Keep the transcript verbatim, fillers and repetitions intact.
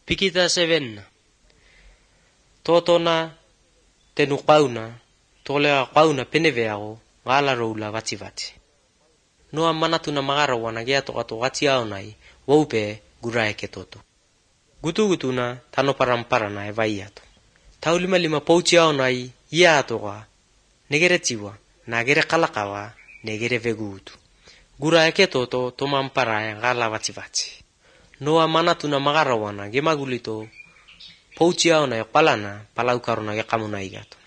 Pikita seven. Totona tenu qauna, tolea qauna peneveago, gala roula vativati. Noa manatuna magarawana geato ato gatiaonai, waupe guraeke toto. Gutugutuna tano paramparana e vaiato. Tau lima lima pouchiaonai, iatoga, negere tiwa, nagere kalakawa, negere vegutu. Guraeke toto tomampara gala vativati. Noa manatuna magarawana gemagulito pouchiaona e palana palaukarona yakamuna igato.